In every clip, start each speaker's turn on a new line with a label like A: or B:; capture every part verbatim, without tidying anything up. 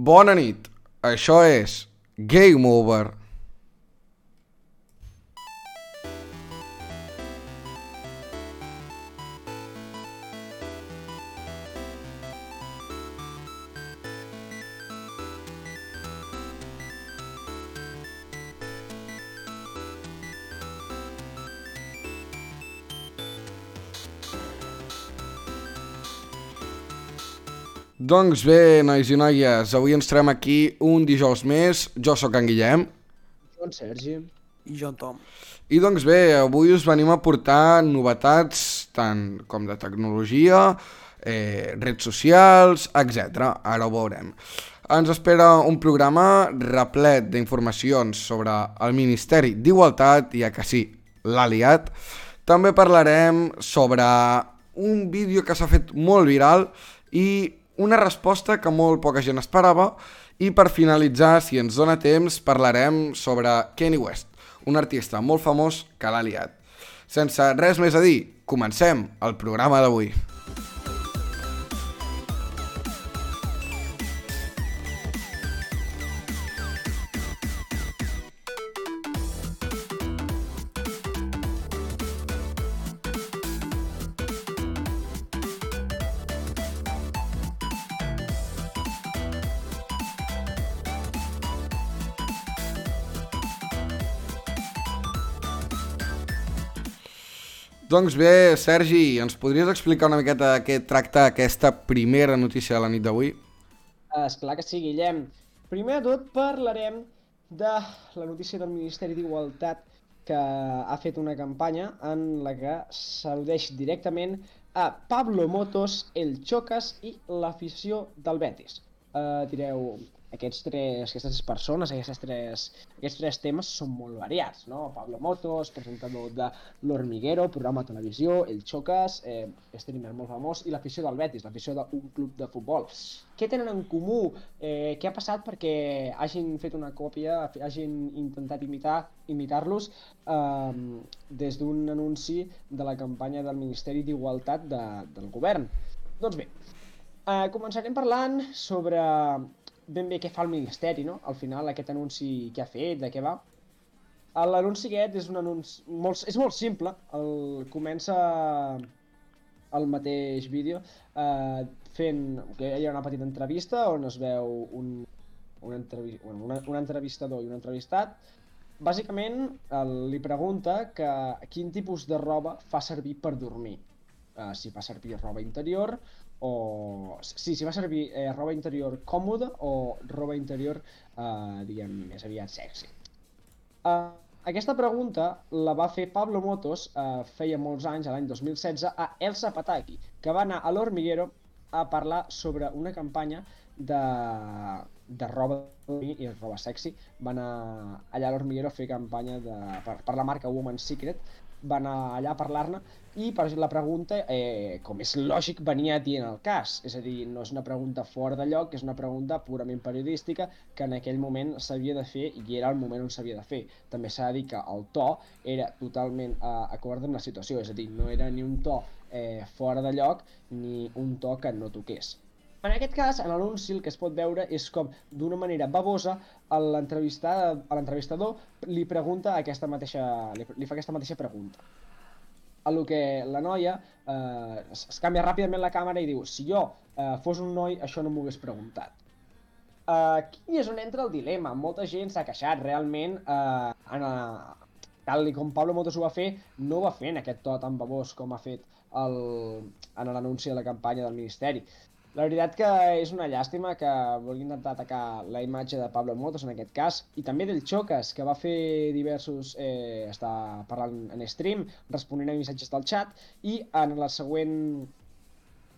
A: Bona nit, això és Game Over. Doncs bé, nois i noies, avui ens trobem aquí un dijous més. Jo sóc en Guillem.
B: Jo en Sergi.
C: I jo en Tom.
A: I doncs bé, avui us venim a portar novetats tant com de tecnologia, eh, redes socials, etcètera. Ara ho veurem. Ens espera un programa replet d'informacions sobre el Ministeri d'Igualtat, ja que sí, l'ha liat. També parlarem sobre un vídeo que s'ha fet molt viral i una resposta que molt poca gent esperava. I per finalitzar, si ens dona temps, parlarem sobre Kanye West, un artista molt famós que l'ha liat. Sense res més a dir, comencem el programa d'avui. Doncs bé, Sergi, ens podries explicar una miqueta de què tracta aquesta primera notícia de la nit d'avui?
B: Esclar que sí, Guillem. Primer de tot parlarem de la notícia del Ministeri d'Igualtat que ha fet una campanya en la que s'al·ludeix directament a Pablo Motos, el Chocas i l'afició del Betis. Uh, direu, aquests tres, aquestes tres persones, aquestes tres, aquests tres temes són molt variats, no? Pablo Motos, presentador de L'Hormiguero, programa de televisió, el Chocas, eh, streamer molt famós, i l'afició del Betis, l'afició d'un club de futbol. Què tenen en comú? Eh, què ha passat perquè hagin fet una còpia, hagin intentat imitar, imitar-los eh, des d'un anunci de la campanya del Ministeri d'Igualtat de, del govern? Doncs bé, eh, començarem parlant sobre ben bé què fa el Ministeri, no? Al final, aquest anunci que ha fet, de què va. L'anunci aquest és un anunci molt, és molt simple. El, comença el mateix vídeo eh, fent que hi ha una petita entrevista on es veu un, un, entrevi, bueno, una, un entrevistador i un entrevistat. Bàsicament el, li pregunta que quin tipus de roba fa servir per dormir. Uh, si fa servir roba interior o... Sí, si fa servir eh, roba interior còmoda o roba interior, uh, diguem, més aviat sexy. Uh, aquesta pregunta la va fer Pablo Motos uh, feia molts anys, l'any dos mil setze, a Elsa Pataki, que va anar a l'Hormiguero a parlar sobre una campanya de, de roba i roba sexy. Va anar allà a l'Hormiguero a fer campanya de, per, per la marca Woman's Secret. Va anar allà a parlar-ne i per la pregunta, eh, com és lògic, venia dient el cas. És a dir, no és una pregunta fora de lloc, és una pregunta purament periodística que en aquell moment s'havia de fer i era el moment on s'havia de fer. També s'ha de dir que el to era totalment eh, acord amb la situació, és a dir, no era ni un to eh, fora de lloc ni un to que no toqués. En aquest cas, en l'anunci el que es pot veure és com, d'una manera babosa, l'entrevistador li pregunta aquesta mateixa, li, li fa aquesta mateixa pregunta. A lo que la noia eh, es, es canvia ràpidament la càmera i diu: si jo eh, fos un noi, això no m'ho hagués preguntat. Aquí és on entra el dilema. Molta gent s'ha queixat realment, eh, en a, tal com Pablo Motos ho va fer, no ho va fer en aquest to tan babós com ha fet el, en l'anunci de la campanya del Ministeri. La veritat que és una llàstima que vulgui intentar atacar la imatge de Pablo Motos en aquest cas, i també del Chocas, que va fer diversos... Eh, està parlant en stream, responent a missatges del chat, i en la següent...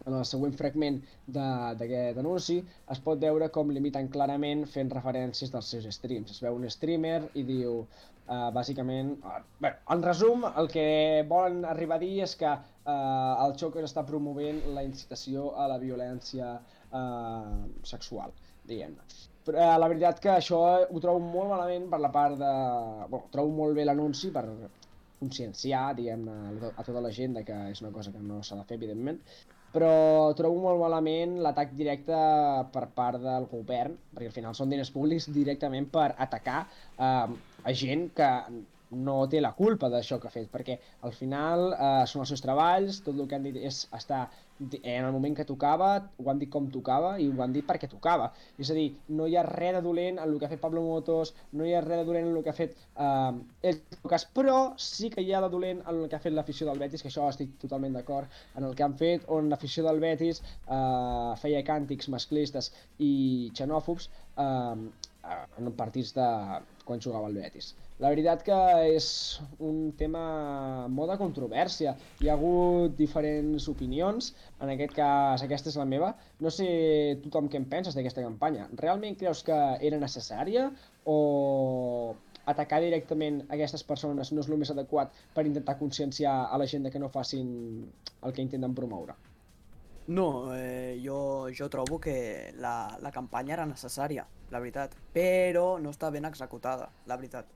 B: En el següent fragment d'aquest anunci es pot veure com l'imiten clarament fent referències dels seus streams. Es veu un streamer i diu, uh, bàsicament... Uh, bé, en resum, el que volen arribar a dir és que uh, el Chocas està promovent la incitació a la violència uh, sexual, diguem-ne. Però uh, la veritat que això ho trobo molt malament per la part de... Bueno, trobo molt bé l'anunci per conscienciar, diguem-ne, a tota la gent de que és una cosa que no s'ha de fer, evidentment. però trobo molt malament l'atac directe per part del govern, perquè al final són diners públics directament per atacar eh, a gent que no té la culpa d'això que ha fet, perquè al final eh, són els seus treballs, tot el que han dit és estar en el moment que tocava, ho han dit com tocava i ho han dit perquè tocava. És a dir, no hi ha res de dolent en el que ha fet Pablo Motos, no hi ha res de dolent en el que ha fet eh, el Chocas, però sí que hi ha de dolent en el que ha fet l'afició del Betis, que això estic totalment d'acord, en el que han fet on l'afició del Betis eh, feia càntics masclistes i xenòfobs eh, en partits de quan jugava el Betis. La veritat que és un tema molt de controvèrsia. Hi ha hagut diferents opinions, en aquest cas aquesta és la meva. No sé tothom què en penses d'aquesta campanya. Realment creus que era necessària o atacar directament aquestes persones no és el més adequat per intentar conscienciar a la gent de que no facin el que intenten promoure?
C: No, eh, jo, jo trobo que la, la campanya era necessària, la veritat, però no està ben executada, la veritat.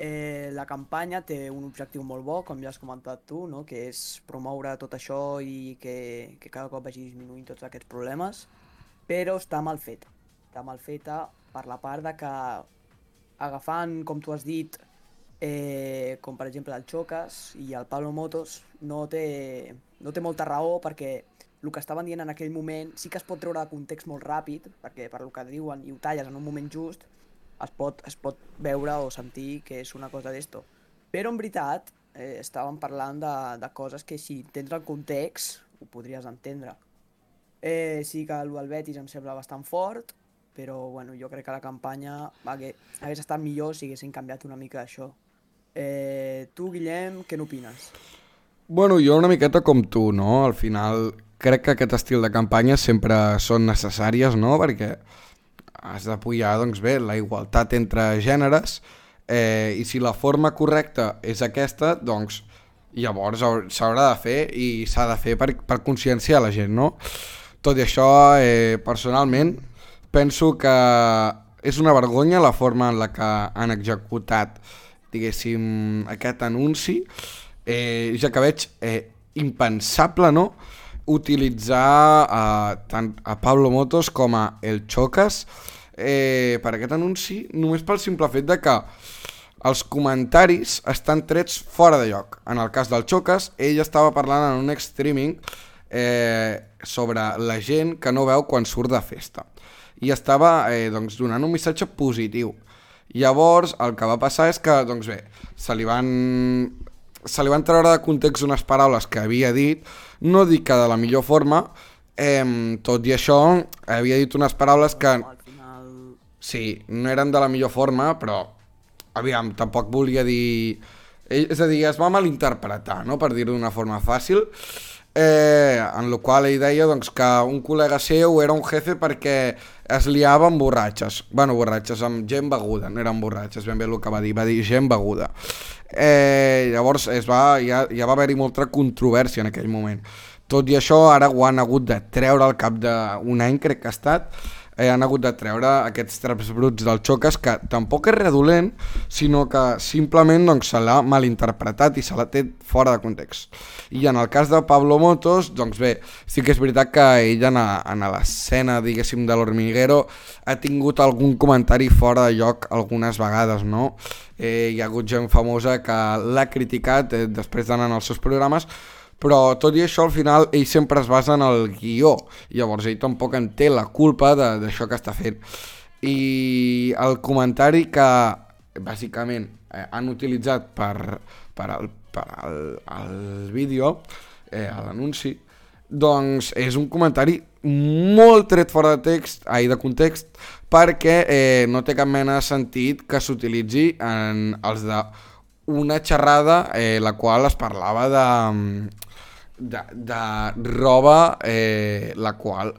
C: Eh, la campanya té un objectiu molt bo, com ja has comentat tu, no? Que és promoure tot això i que, que cada cop vagi disminuint tots aquests problemes, però està mal feta. Està mal feta per la part de que agafant, com tu has dit, eh, com per exemple el Chocas i el Pablo Motos, no té, no té molta raó perquè el que estaven dient en aquell moment sí que es pot treure de context molt ràpid, perquè per el que diuen i ho talles en un moment just, es pot, es pot veure o sentir que és una cosa d'esto. Però en veritat eh, estàvem parlant de, de coses que si tens el context ho podries entendre. Eh, sí que el Betis em sembla bastant fort, però bueno, jo crec que la campanya hagués, hagués estat millor si haguessin canviat una mica això. Eh, tu, Guillem, què n'opines?
A: Bueno, jo una miqueta com tu, no? Al final crec que aquest estil de campanyes sempre són necessàries, no? Perquè has d'apoyar, doncs bé, la igualtat entre gèneres eh, i si la forma correcta és aquesta, doncs llavors s'haurà de fer i s'ha de fer per, per conscienciar la gent, no? Tot i això, eh, personalment, penso que és una vergonya la forma en la que han executat, diguéssim, aquest anunci, eh, ja que veig eh, impensable, no?, utilitzar eh, tant a Pablo Motos com a el Chocas eh, per aquest anunci, només pel simple fet de que els comentaris estan trets fora de lloc. En el cas del Chocas, ell estava parlant en un streaming eh, sobre la gent que no veu quan surt de festa i estava eh, doncs, donant un missatge positiu. Llavors el que va passar és que doncs bé, se li van se li van treure de context unes paraules que havia dit, no dic que de la millor forma, eh, tot i això havia dit unes paraules que sí, no eren de la millor forma, però aviam, tampoc volia dir, és a dir, es va malinterpretar, no?, per dir-ho d'una forma fàcil, eh, en la qual ell deia doncs, que un col·lega seu era un jefe perquè es liava amb borratxes, bueno, borratxes, amb gent beguda, no eren borratxes, ben bé el que va dir, va dir gent beguda. Eh, llavors es va, ja, ja va haver-hi molta controvèrsia en aquell moment. Tot i això, ara ho han hagut de treure al cap d'un any, crec que ha estat, eh, han hagut de treure aquests traps bruts del Chocas, que tampoc és redolent, sinó que simplement doncs, se l'ha malinterpretat i se l'ha té fora de context. I en el cas de Pablo Motos, doncs bé, sí que és veritat que ell en, a, en a l'escena, diguéssim, de l'Hormiguero ha tingut algun comentari fora de lloc algunes vegades, no? Eh, hi ha hagut gent famosa que l'ha criticat eh, després d'anar als seus programes, però tot i això al final ell sempre es basa en el guió, llavors ell tampoc en té la culpa d'això que està fent. I el comentari que bàsicament eh, han utilitzat per, per, el, per el, el vídeo, eh, l'anunci, doncs és un comentari molt tret fora de text, ai, de context, perquè eh, no té cap mena de sentit que s'utilitzi en els de una xerrada eh, la qual es parlava de, de, de roba eh, la qual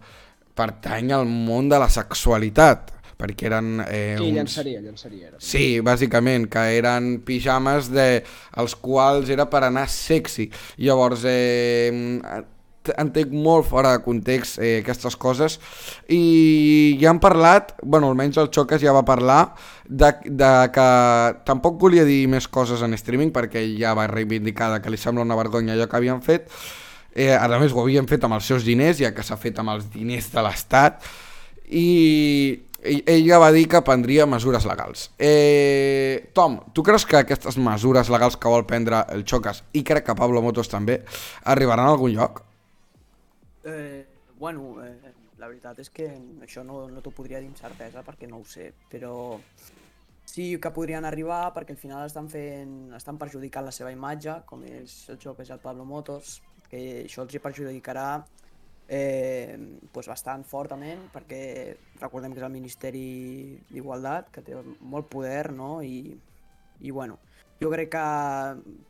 A: pertany al món de la sexualitat, perquè eren... Eh,
B: sí,
A: uns...
B: llançaria, llançaria. Era.
A: Sí, bàsicament, que eren pijames de, els quals era per anar sexy. Llavors, eh, entenc molt fora de context eh, aquestes coses i ja han parlat, bueno, almenys el Chocas ja va parlar de, de que tampoc volia dir més coses en streaming perquè ja va reivindicar que li sembla una vergonya allò que havien fet Eh, a més, ho havien fet amb els seus diners, ja que s'ha fet amb els diners de l'Estat, i ella va dir que prendria mesures legals. Eh, Tom, tu creus que aquestes mesures legals que vol prendre el Chocas, i crec que Pablo Motos també, arribaran a algun lloc?
C: Eh, bueno, eh, la veritat és que això no, no t'ho podria dir amb certesa perquè no ho sé, però sí que podrien arribar perquè al final estan fent, estan perjudicant la seva imatge, com és el Chocas i el Pablo Motos, que això els hi perjudicarà eh, pues bastant fortament, perquè recordem que és el Ministeri d'Igualtat, que té molt poder, no? I, i bueno, jo crec que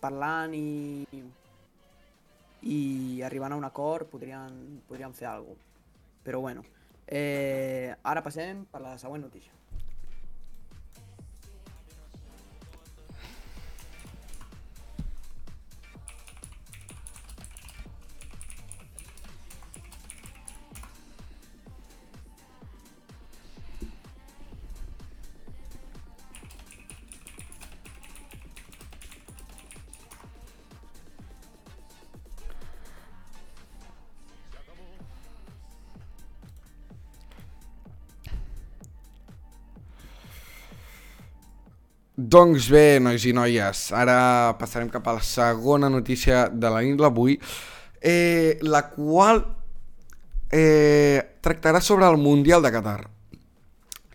C: parlant i, i arribant a un acord podrien, podrien fer alguna cosa. Però bueno, eh, ara passem per la següent notícia.
A: Doncs bé, nois i noies, ara passarem cap a la segona notícia de la nit d'avui, eh, la qual eh, tractarà sobre el Mundial de Qatar.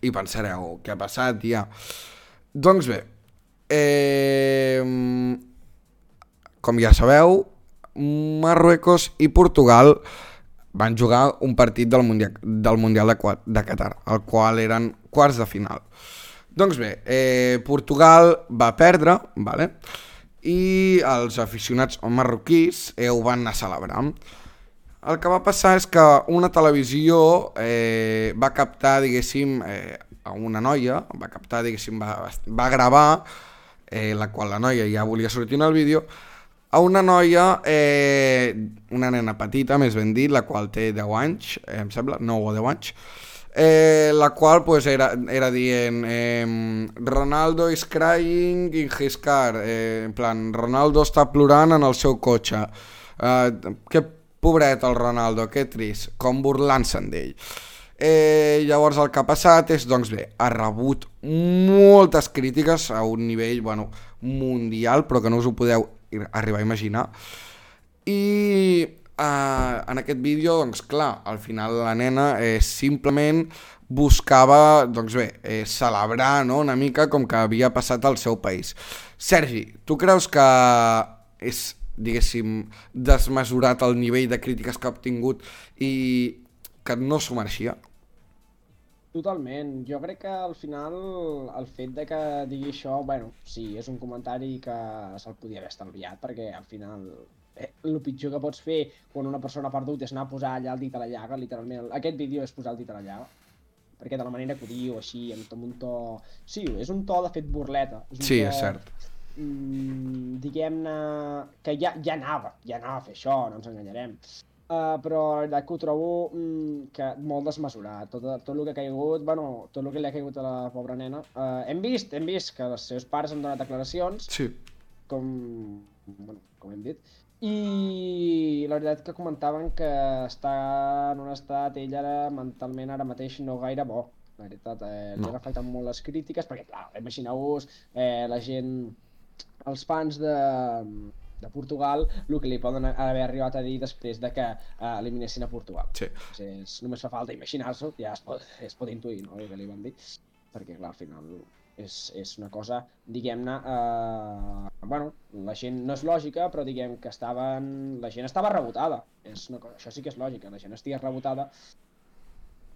A: I pensareu, què ha passat, ja? Doncs bé, eh, com ja sabeu, Marruecos i Portugal van jugar un partit del Mundial, del mundial de, de Qatar, el qual eren quarts de final. Doncs bé, eh, Portugal va perdre, vale? I els aficionats marroquís eh, ho van anar a celebrar. El que va passar és que una televisió eh, va captar, diguéssim, eh, a una noia, va captar, diguéssim, va, va gravar, eh, la qual la noia ja volia sortir en el vídeo, a una noia, eh, una nena petita, més ben dit, la qual té deu anys, eh, em sembla, nou o deu anys, Eh, la qual pues, era, era dient eh, Ronaldo is crying in his car, eh, en plan, Ronaldo està plorant en el seu cotxe, eh, que pobret el Ronaldo, que trist, com burlant-se'n d'ell. Eh, llavors el que ha passat és, doncs bé, ha rebut moltes crítiques a un nivell, bueno, mundial, però que no us ho podeu arribar a imaginar. I Uh, en aquest vídeo, doncs clar, al final la nena eh, simplement buscava, doncs bé, eh, celebrar, no?, una mica com que havia passat al seu país. Sergi, tu creus que és, diguéssim, desmesurat el nivell de crítiques que ha obtingut i que no s'ho mereixia?
B: Totalment. Jo crec que al final el fet de que digui això, bueno, sí, és un comentari que se'l podia haver estalviat, perquè al final eh, el pitjor que pots fer quan una persona ha perdut és anar a posar allà el dit a la llaga, literalment. Aquest vídeo és posar el dit a la llaga, perquè de la manera que ho diu, així, amb un to... Sí, és un to de fet burleta. És un
A: Sí,
B: to,
A: és cert.
B: mm, diguem-ne, que ja, ja anava, ja anava a fer això, no ens enganyarem. Uh, però la veritat que ho trobo mm, que molt desmesurat, tot, tot el que ha caigut, bueno, tot el que li ha caigut a la pobra nena. Uh, hem vist, hem vist que els seus pares han donat declaracions,
A: Sí.
B: com, bueno, com hem dit, i la veritat que comentaven que està en un estat, ell ara mentalment ara mateix no gaire bo. La veritat, eh, li
A: No.
B: han afectat molt les crítiques, perquè clar, imagineu-vos eh, la gent, els fans de, de Portugal, el que li poden haver arribat a dir després de que eh, eliminessin a Portugal.
A: Sí.
B: Doncs és, només fa falta imaginar-s'ho, ja es pot, es pot intuir, no?, el que li van dir, perquè clar, al final és, és una cosa, diguem-ne, eh, bueno, la gent no és lògica, però diguem que estaven, la gent estava rebotada, és una cosa, això sí que és lògica, la gent estigui rebotada.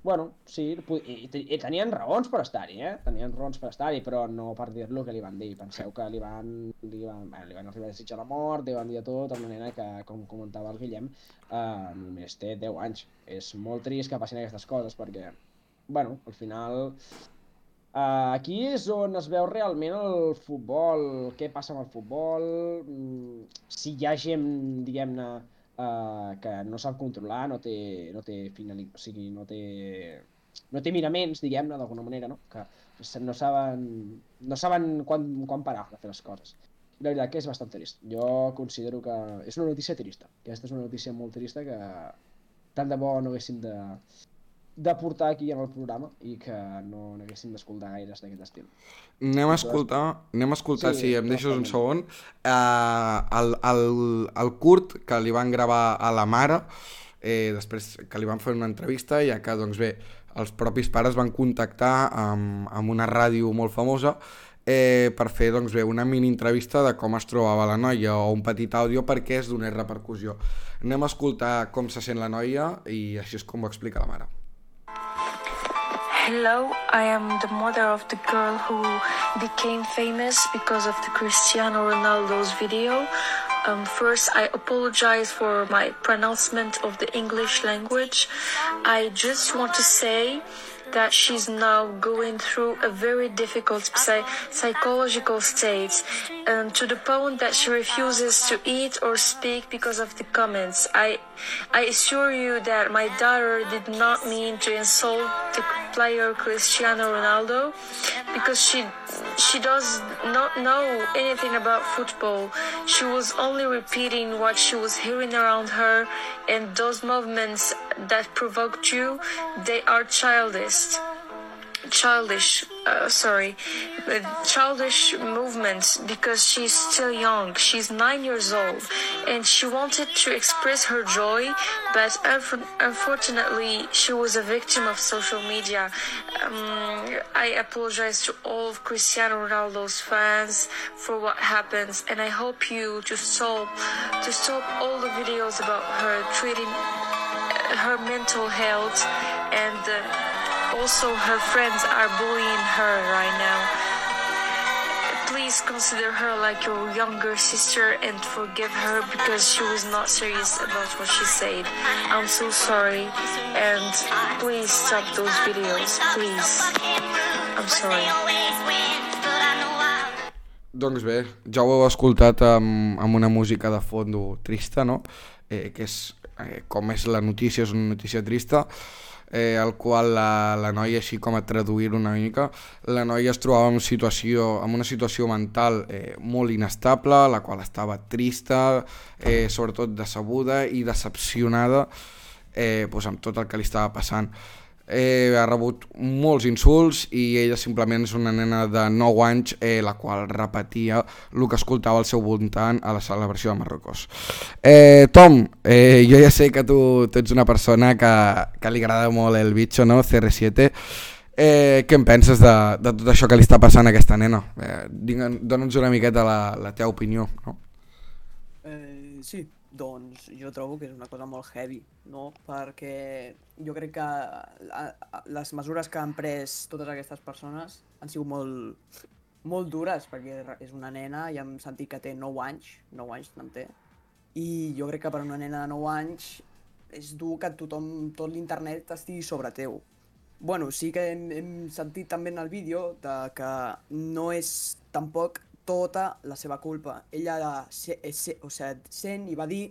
B: Bueno, sí, i, i tenien raons per estar-hi, eh? Tenien raons per estar-hi, però no per dir-lo que li van dir. Penseu que li van, li van, bueno, li van arribar a desitjar la mort, li van dir tot, amb una nena que, com comentava el Guillem, eh, només té deu anys. És molt trist que passin aquestes coses, perquè, bueno, al final... Uh, aquí és on es veu realment el futbol, què passa amb el futbol, mm, si hi ha gent, diguem-ne, uh, que no sap controlar, no té, no té finalitat, o sigui, no té, no té miraments, diguem-ne, d'alguna manera, no? Que no saben, no saben quan, quan parar de fer les coses. la veritat que és bastant trist. Jo considero que és una notícia trista. Aquesta és una notícia molt trista que tant de bo no haguéssim de, de portar aquí en el programa i que no n'haguéssim d'escoltar gaires d'aquest estil.
A: Anem a escoltar, anem a escoltar
B: Sí,
A: si em deixes un
B: totalment.
A: segon, eh, el, el, el curt que li van gravar a la mare, eh, després que li van fer una entrevista, ja que, doncs bé, els propis pares van contactar amb, amb una ràdio molt famosa eh, per fer, doncs bé, una mini entrevista de com es trobava la noia o un petit àudio perquè es donés repercussió. Anem a escoltar com se sent la noia i així és com ho explica la mare.
D: Hello, I am the mother of the girl who became famous because of the Cristiano Ronaldo's video. Um, first, I apologize for my pronouncement of the English language. I just want to say that she's now going through a very difficult psy- psychological state, um, to the point that she refuses to eat or speak because of the comments. I, I assure you that my daughter did not mean to insult the player Cristiano Ronaldo, because she, she does not know anything about football. She was only repeating what she was hearing around her, and those movements that provoked you, they are childish. Childish, uh, sorry, uh, childish movements, because she's still young. She's nine years old, and she wanted to express her joy, but unf- unfortunately, she was a victim of social media. Um, I apologize to all of Cristiano Ronaldo's fans for what happens, and I hope you to stop to stop all the videos about her treating uh, her mental health, and uh, also her friends are bullying her right now. Please consider her like your younger sister and forgive her, because she was not serious about what she said. I'm so sorry, and please stop those videos, please. I'm sorry.
A: Doncs bé, ja ho heu escoltat amb, amb una música de fondo trista, no? Eh, que és, eh, com és la notícia, és una notícia trista, eh, el qual la, la noia, així com a traduir una mica, la noia es trobava en, situació, en una situació mental eh, molt inestable, la qual estava trista, eh, sobretot decebuda i decepcionada eh, doncs amb tot el que li estava passant. Eh, ha rebut molts insults i ella simplement és una nena de nou anys eh, la qual repetia el que escoltava al seu voltant a la celebració de Marruecos. eh, Tom, eh, jo ja sé que tu, tu ets una persona que, que li agrada molt el bitxo, no? C R siete. Eh, què en penses de, de tot això que li està passant a aquesta nena? Eh, Dóna'ns una miqueta la, la teva opinió, no?
C: Eh, sí, doncs jo trobo que és una cosa molt heavy, no? Perquè jo crec que la, les mesures que han pres totes aquestes persones han sigut molt, molt dures, perquè és una nena i hem sentit que té nou anys, nou anys en té, i jo crec que per una nena de nou anys és dur que tothom, tot l'internet estigui sobre teu. Bueno, sí que hem, hem sentit també en el vídeo de que no és tampoc tota la seva culpa. Ella se, se, o sigui, sent i va dir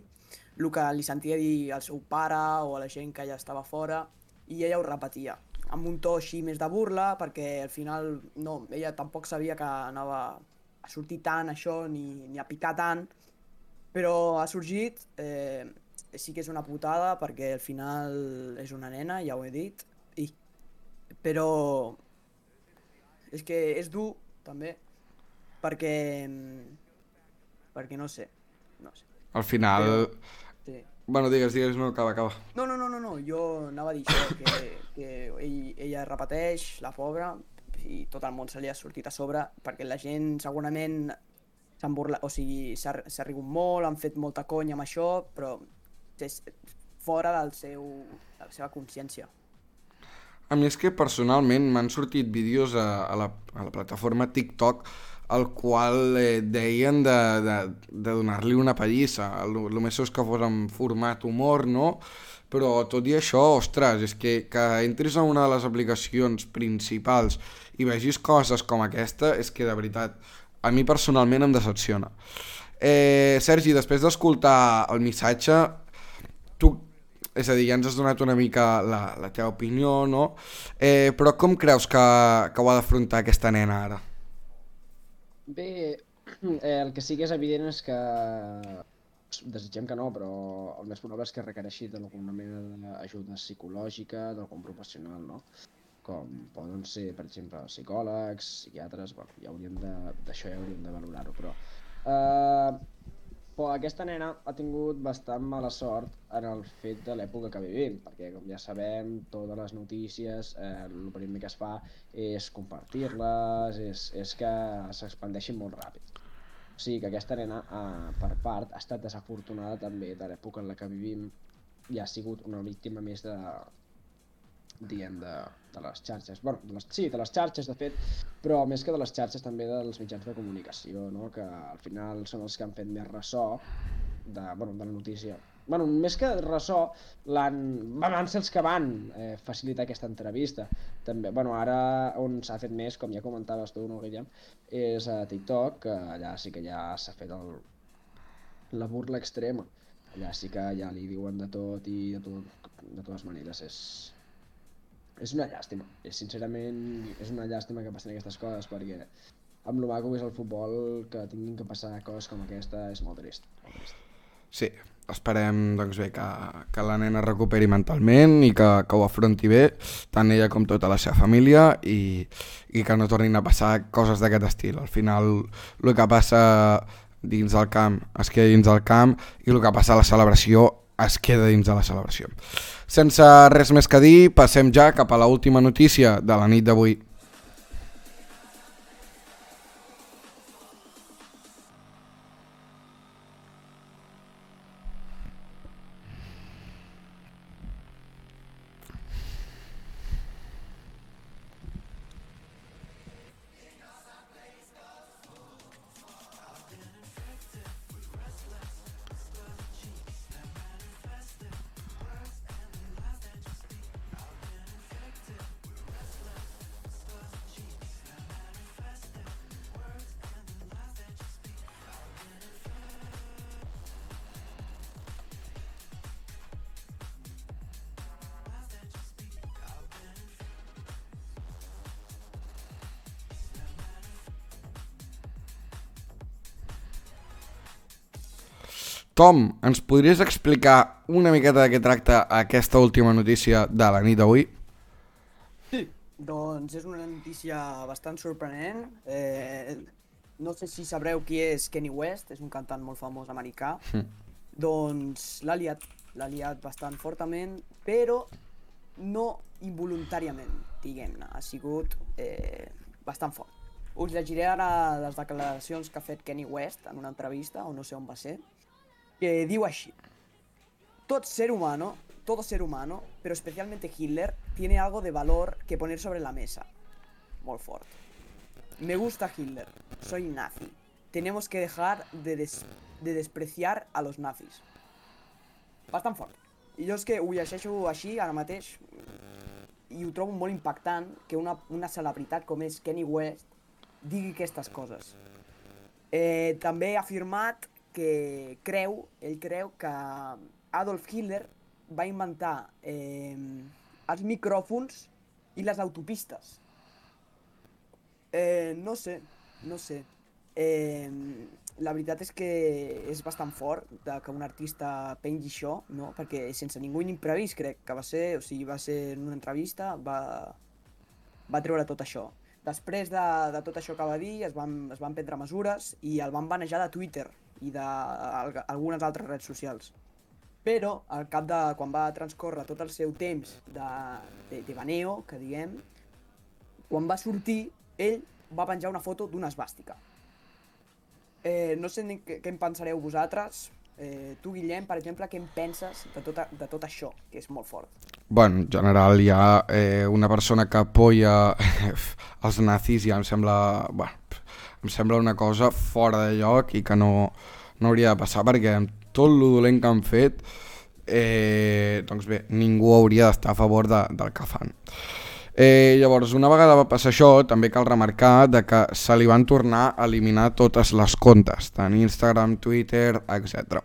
C: el que li sentia dir al seu pare o a la gent que ja estava fora, i ella ho repetia, amb un to així més de burla, perquè al final no, ella tampoc sabia que anava a sortir tant això, ni, ni a picar tant, però ha sorgit, eh, sí que és una putada, perquè al final és una nena, ja ho he dit, i, però és que és dur, també, perquè, perquè no sé, no sé.
A: Al final...
C: Però, sí.
A: Bueno, digues, digues, no, acaba, acaba.
C: No, no, no, no, no, jo anava a dir això, que, que ell, ella repeteix, la pobra, i tot el món se li ha sortit a sobre, perquè la gent segurament s'han burlat, o sigui, s'ha rigut molt, han fet molta conya amb això, però és fora del seu, de la seva consciència.
A: A mi és que personalment m'han sortit vídeos a, a, la, a la plataforma TikTok el qual eh, deien de, de, de donar-li una pallissa. El, el més és que fos en format humor, no? Però tot i això, ostres, és que, que entris en una de les aplicacions principals i vegis coses com aquesta, és que de veritat, a mi personalment em decepciona. Eh, Sergi, després d'escoltar el missatge, tu, és a dir, ja ens has donat una mica la, la teva opinió, no? Eh, però com creus que, que ho ha d'afrontar aquesta nena ara?
B: Bé, Eh, el que sí que és evident és que desitgem que no, però el més probable és que requereixi d'alguna mena d'ajuda psicològica d'algun professional, no? Com poden ser, per exemple, psicòlegs, psiquiatres, bueno, ja hauríem de, d'això ja hauríem de valorar-ho, però... Eh, però aquesta nena ha tingut bastant mala sort en el fet de l'època que vivim, perquè com ja sabem, totes les notícies, eh, el primer que es fa és compartir-les, és, és que s'expandeixin molt ràpid. O sigui que aquesta nena, eh, per part, ha estat desafortunada també de l'època en la que vivim i ha sigut una víctima més de, diguem, de, de les xarxes. Bueno, de les, sí, de les xarxes, de fet, però més que de les xarxes també dels mitjans de comunicació, no? Que al final són els que han fet més ressò de, bueno, de la notícia. Bueno, més que ressò, l'han... van ser els que van eh, facilitar aquesta entrevista. També, bueno, ara on s'ha fet més, com ja comentaves tu, no, Guillem, és a TikTok, que allà sí que ja s'ha fet el, la burla extrema. Allà sí que ja li diuen de tot i de, tot, de totes maneres és... És una llàstima, és, sincerament és una llàstima que passin aquestes coses perquè amb lo maco que és el futbol que tinguin que passar coses com aquesta és molt trist, molt trist.
A: Sí, esperem doncs bé que, que la nena recuperi mentalment i que, que ho afronti bé, tant ella com tota la seva família i, i que no tornin a passar coses d'aquest estil. Al final el que passa dins del camp es queda dins del camp i el que passa a la celebració es queda dins de la celebració. Sense res més que dir, passem ja cap a l'última notícia de la nit d'avui. Tom, ens podries explicar una miqueta de què tracta aquesta última notícia de la nit d'avui?
C: Sí. Doncs és una notícia bastant sorprenent. Eh, no sé si sabreu qui és Kanye West, és un cantant molt famós americà. Mm. Doncs l'ha liat, l'ha liat bastant fortament, però no involuntàriament, diguem-ne. Ha sigut eh, bastant fort. Us llegiré ara les declaracions que ha fet Kanye West en una entrevista, o no sé on va ser, que diu així: Todo ser humano, todo ser humano, pero especialmente Hitler, tiene algo de valor que poner sobre la mesa. Molt fort. Me gusta Hitler, soy nazi. Tenemos que dejar de, des de despreciar a los nazis. Bastant fort. I jo és que ho llegeixo així ara mateix i ho trobo molt impactant que una, una celebritat com és Kanye West digui aquestes coses. Eh, també ha afirmat que creu, ell creu que Adolf Hitler va inventar eh, els micròfons i les autopistes. Eh, no sé, no sé. Eh, la veritat és que és bastant fort de que un artista pengi això, no? Perquè sense ningú imprevist crec que va ser, o sigui, va ser en una entrevista, va, va treure tot això. Després de, de tot això que va dir, es van, es van prendre mesures i el van banejar de Twitter i d'algunes altres redes socials. Però, al cap de quan va transcórrer tot el seu temps de, de, de baneo, que diguem, quan va sortir, ell va penjar una foto d'una esvàstica. Eh, no sé què, què en pensareu vosaltres. Eh, tu, Guillem, per exemple, què en penses de tot, de tot això, que és molt fort?
A: Bueno, en general hi ha eh, una persona que apoya els nazis i ja em sembla... Bueno, em sembla una cosa fora de lloc i que no, no hauria de passar perquè amb tot el dolent que han fet eh, doncs bé, ningú hauria d'estar a favor de, del que fan. Eh, llavors, una vegada va passar això, també cal remarcar de que se li van tornar a eliminar totes les comptes, tant Instagram, Twitter, etcètera.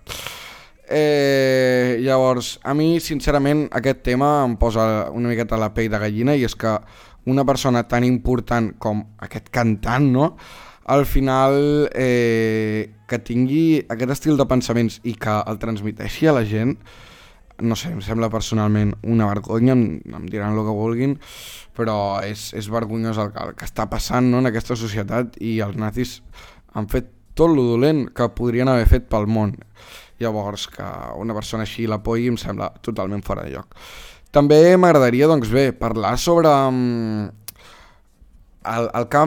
A: Eh, llavors, a mi sincerament aquest tema em posa una miqueta la pell de gallina i és que una persona tan important com aquest cantant, no?, al final eh, que tingui aquest estil de pensaments i que el transmeteixi a la gent, no sé, em sembla personalment una vergonya, em, em diran el que vulguin, però és, és vergonyós el, el que està passant, no?, en aquesta societat, i els nazis han fet tot lo dolent que podrien haver fet pel món. Llavors, que una persona així l'apoyi em sembla totalment fora de lloc. També m'agradaria, doncs bé, parlar sobre um, el, el, que,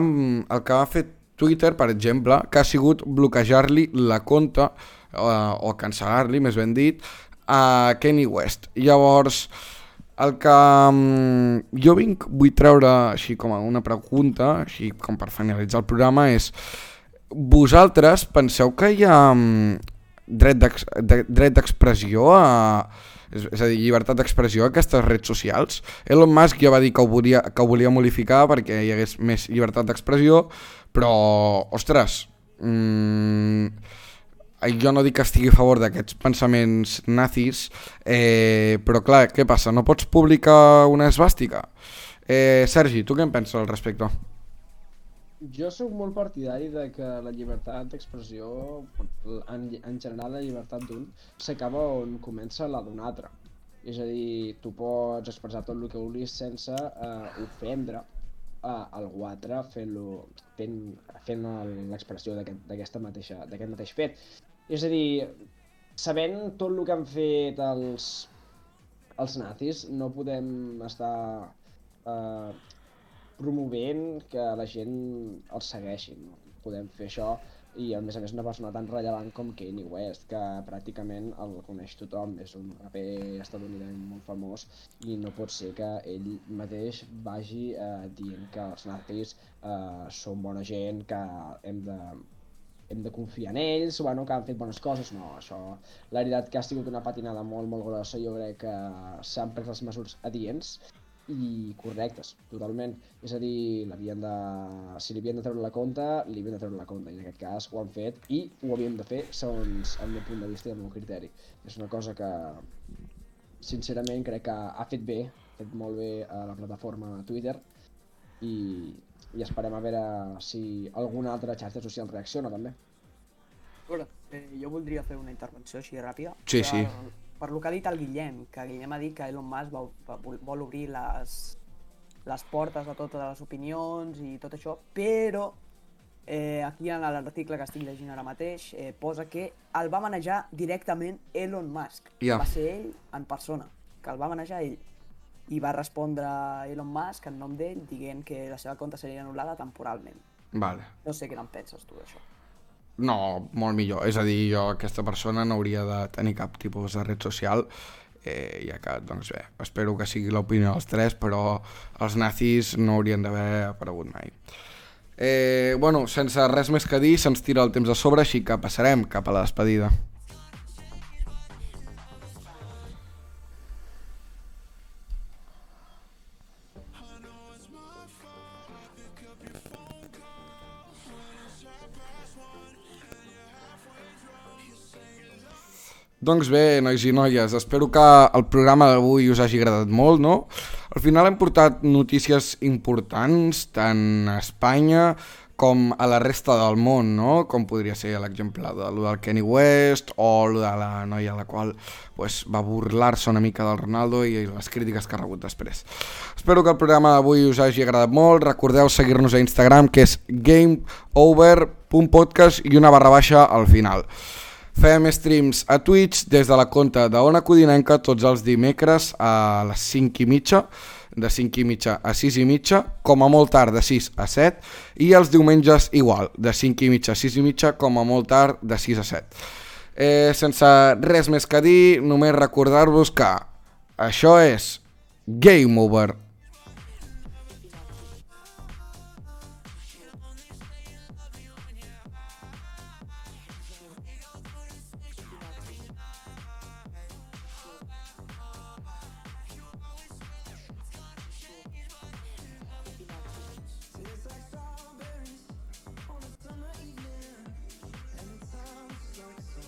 A: el que ha fet Twitter, per exemple, que ha sigut bloquejar-li la compte, uh, o cancel·lar-li, més ben dit, a Kanye West. Llavors, el que um, jo vinc, vull treure així com a una pregunta, així com per finalitzar el programa, és: vosaltres penseu que hi ha um, dret d'expressió a... És, és a dir, llibertat d'expressió a aquestes redes socials? Elon Musk ja va dir que ho volia, que ho volia modificar perquè hi hagués més llibertat d'expressió, però, ostres, mmm, jo no dic que estigui a favor d'aquests pensaments nazis, eh, però clar, què passa? No pots publicar una esvàstica? Eh, Sergi, tu què en penses al respecte?
B: Jo sóc molt partidari de que la llibertat d'expressió, en, en general la llibertat d'un, s'acaba on comença la d'un altre. És a dir, tu pots expressar tot el que vulguis sense eh, ofendre a algú altre fent-lo, fent, fent l'expressió d'aquest mateixa, d'aquest mateix fet. És a dir, sabent tot el que han fet els, els nazis, no podem estar eh, promovent que la gent els segueixi. No podem fer això, i a més a més una persona tan rellevant com Kanye West, que pràcticament el coneix tothom, és un raper estadounidenc molt famós, i no pot ser que ell mateix vagi eh, dient que els nazis eh, són bona gent, que hem de, hem de confiar en ells, bueno, que han fet bones coses. No, això, la veritat que ha sigut una patinada molt molt grossa. Jo crec que s'han pres les mesures adients i correctes, totalment. És a dir, l'havien de... si li havien de treure la compte, li havien de treure la compte, i en aquest cas ho han fet, i ho havíem de fer segons el meu punt de vista i el meu criteri. És una cosa que, sincerament, crec que ha fet bé, ha fet molt bé a la plataforma Twitter, i, i esperem a veure si alguna altra xarxa social reacciona, també.
C: A veure, eh, jo voldria fer una intervenció així ràpida.
A: Sí, sí.
C: Per, per lo que ha dit el Guillem, que Guillem ha dit que Elon Musk vol, vol obrir les, les portes a totes les opinions i tot això, però eh, aquí en l'article que estic llegint ara mateix eh, posa que el va manejar directament Elon Musk.
A: Yeah.
C: Va ser ell en persona, que el va manejar ell. I va respondre Elon Musk en nom d'ell dient que la seva compte seria anul·lada temporalment.
A: Vale.
C: No sé què en penses tu d'això.
A: No, molt millor. És a dir, jo, aquesta persona no hauria de tenir cap tipus de red social, eh, ja que, doncs bé, espero que sigui l'opinió dels tres, però els nazis no haurien d'haver aparegut mai. Eh, bueno, sense res més que dir, se'ns tira el temps a sobre, així que passarem cap a la despedida. Doncs bé, nois i noies, espero que el programa d'avui us hagi agradat molt, no? Al final hem portat notícies importants, tant a Espanya com a la resta del món, no? Com podria ser l'exemple de lo del Kanye West o lo de la noia a la qual pues, va burlar-se una mica del Ronaldo i les crítiques que ha rebut després. Espero que el programa d'avui us hagi agradat molt. Recordeu seguir-nos a Instagram, que és gameover punt podcast i una barra baixa al final. Fem streams a Twitch des de la compte d'Ona Codinenca tots els dimecres a les cinc i mitja, de cinc i mitja a sis i mitja, com a molt tard de sis a set, i els diumenges igual, de cinc i mitja a sis i mitja, com a molt tard de sis a set. Eh, sense res més que dir, només recordar-vos que això és Game Over.